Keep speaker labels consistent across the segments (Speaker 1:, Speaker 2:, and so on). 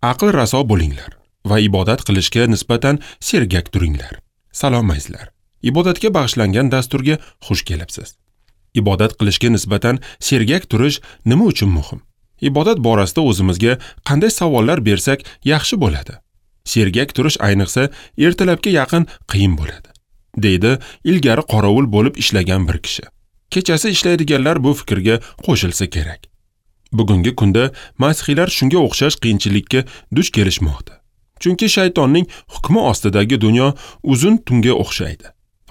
Speaker 1: Aql raso bo'linglar va ibodat qilishga nisbatan sergak turinglar. Salom azizlar. Ibodatga bag'ishlangan dasturga xush kelibsiz. Ibodat qilishga nisbatan sergak turish nima uchun muhim? Ibodat borasida o'zimizga qanday savollar bersak yaxshi bo'ladi? Sergak turish ayniqsa ertalabga yaqin qiyin bo'ladi, deydi ilgari qorovul bo'lib ishlagan bir kishi. Kechasi ishlaydiganlar bu fikrga qo'shilsa kerak. Bugungi kunda masihiylar shunga o'xshash qiyinchilikka duch kelishmoqda. Chunki shaytonning hukmi ostidagi dunyo uzun tunga o'xshaydi.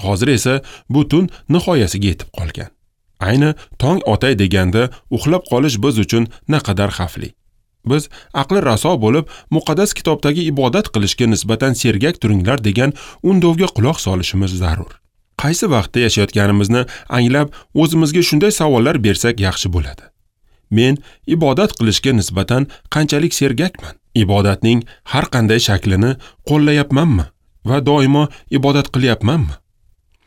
Speaker 1: Hozir esa bu tun nihoyasiga yetib qolgan. Ayni tong otay deganda uxlab qolish biz uchun naqadar xavfli. Biz aqli raso bo'lib, muqaddas kitobdagi ibodat qilishga nisbatan sergak turinglar degan undovga quloq solishimiz zarur. Qaysi vaqtda yashayotganimizni anglab, o'zimizga shunday savollar bersak yaxshi bo'ladi. Men ibodat qilishga nisbatan qanchalik sergakman? Ibodatning har qanday shaklini qo'llayapmanmi va doimo ibodat qilyapmanmi?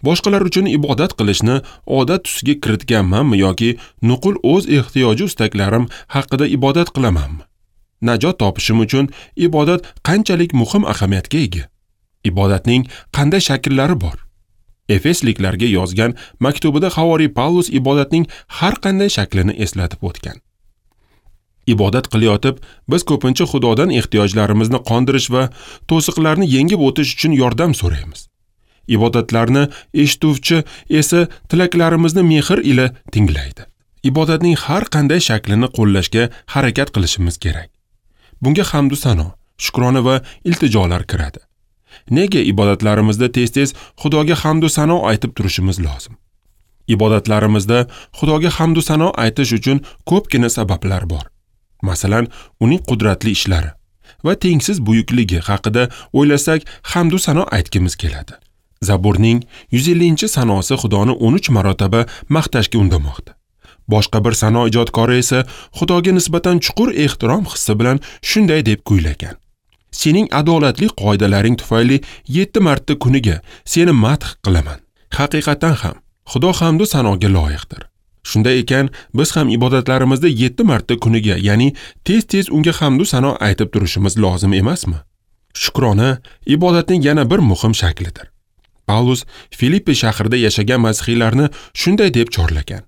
Speaker 1: Boshqalar uchun ibodat qilishni odat tusiga kiritganmanmi yoki nuqul o'z ehtiyoji istaklarim haqida ibodat qilamanmi? Najot topishim uchun ibodat qanchalik muhim ahamiyatga ega? Ibodatning qanday shakllari bor? Efesliklarga yozgan maktubida havoriy Pavlus ibodatning har qanday shaklini eslatib o'tgan. Ibodat qilayotib, biz ko'pincha Xudodan ehtiyojlarimizni qondirish va to'siqlarni yengib o'tish uchun yordam so'raymiz. Ibodatlarni eshituvchi esa tilaklarimizni mehr ila tinglaydi. Ibodatning har qanday shaklini qo'llashga harakat qilishimiz kerak. Bunga hamd va sano, shukrona va iltijolar kiradi. Nega ibodatlarimizda tez-tez Xudoga hamd va sano aytib turishimiz lozim? Ibodatlarimizda Xudoga hamd va sano aytish uchun ko'pgina sabablar bor. Masalan, uning qudratli ishlari va tengsiz buyukligi haqida o'ylasak, hamd va sano aytgimiz keladi. Zaburning 150-sanosi Xudoni 13 marotaba maqtashga undamoqda. Boshqa bir sano ijodkori esa Xudoga nisbatan chuqur ehtirom hissi bilan shunday deb kuylagan: Sening adolatli qoidalaring tufayli 7 marta kuniga seni madh qilaman. Haqiqatan ham Xudo hamd va sanoga loyiqdir. Shunday ekan, biz ham ibodatlarimizda 7 marta kuniga, ya'ni tez-tez unga hamd va sano aytib turishimiz lozim emasmi? Shukrona ibodatning yana bir muhim shaklidir. Pavlus Filippi shahrida yashagan masihiylarni shunday deb chorlagan: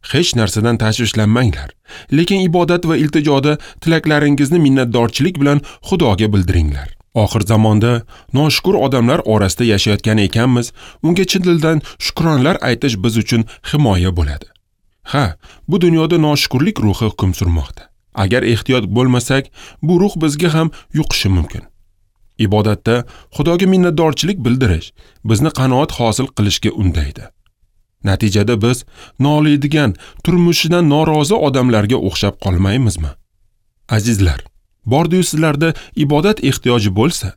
Speaker 1: Hech narsadan tashvishlanmanglar, lekin ibodat va iltijoda tilaklaringizni minnatdorchilik bilan Xudoga bildiringlar. Oxir zamonda noshukur odamlar orasida yashayotgan ekanmiz, unga chin dildan shukronlar aytish biz uchun himoya bo'ladi. Ha, bu dunyoda noshukurlik ruhi hukm surmoqda. Agar ehtiyot bo'lmasak, bu ruh bizga ham yuqishi mumkin. Ibodatda Xudoga minnatdorchilik bildirish bizni qanoat hosil qilishga undaydi. Natijada biz noliydigan, turmushidan norozi odamlarga o'xshab qolmaymizmi? Azizlar, bordi-yu sizlarda ibodat ehtiyoji bo'lsa,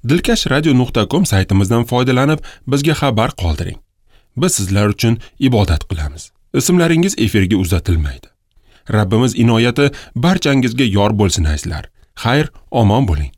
Speaker 1: dilkashradio.com saytimizdan foydalanib bizga xabar qoldiring. Biz sizlar uchun ibodat qilamiz. Ismlaringiz efirga uzatilmaydi. Rabbimiz inoyati barchangizga yor bo'lsin azizlar. Xayr, omon bo'ling.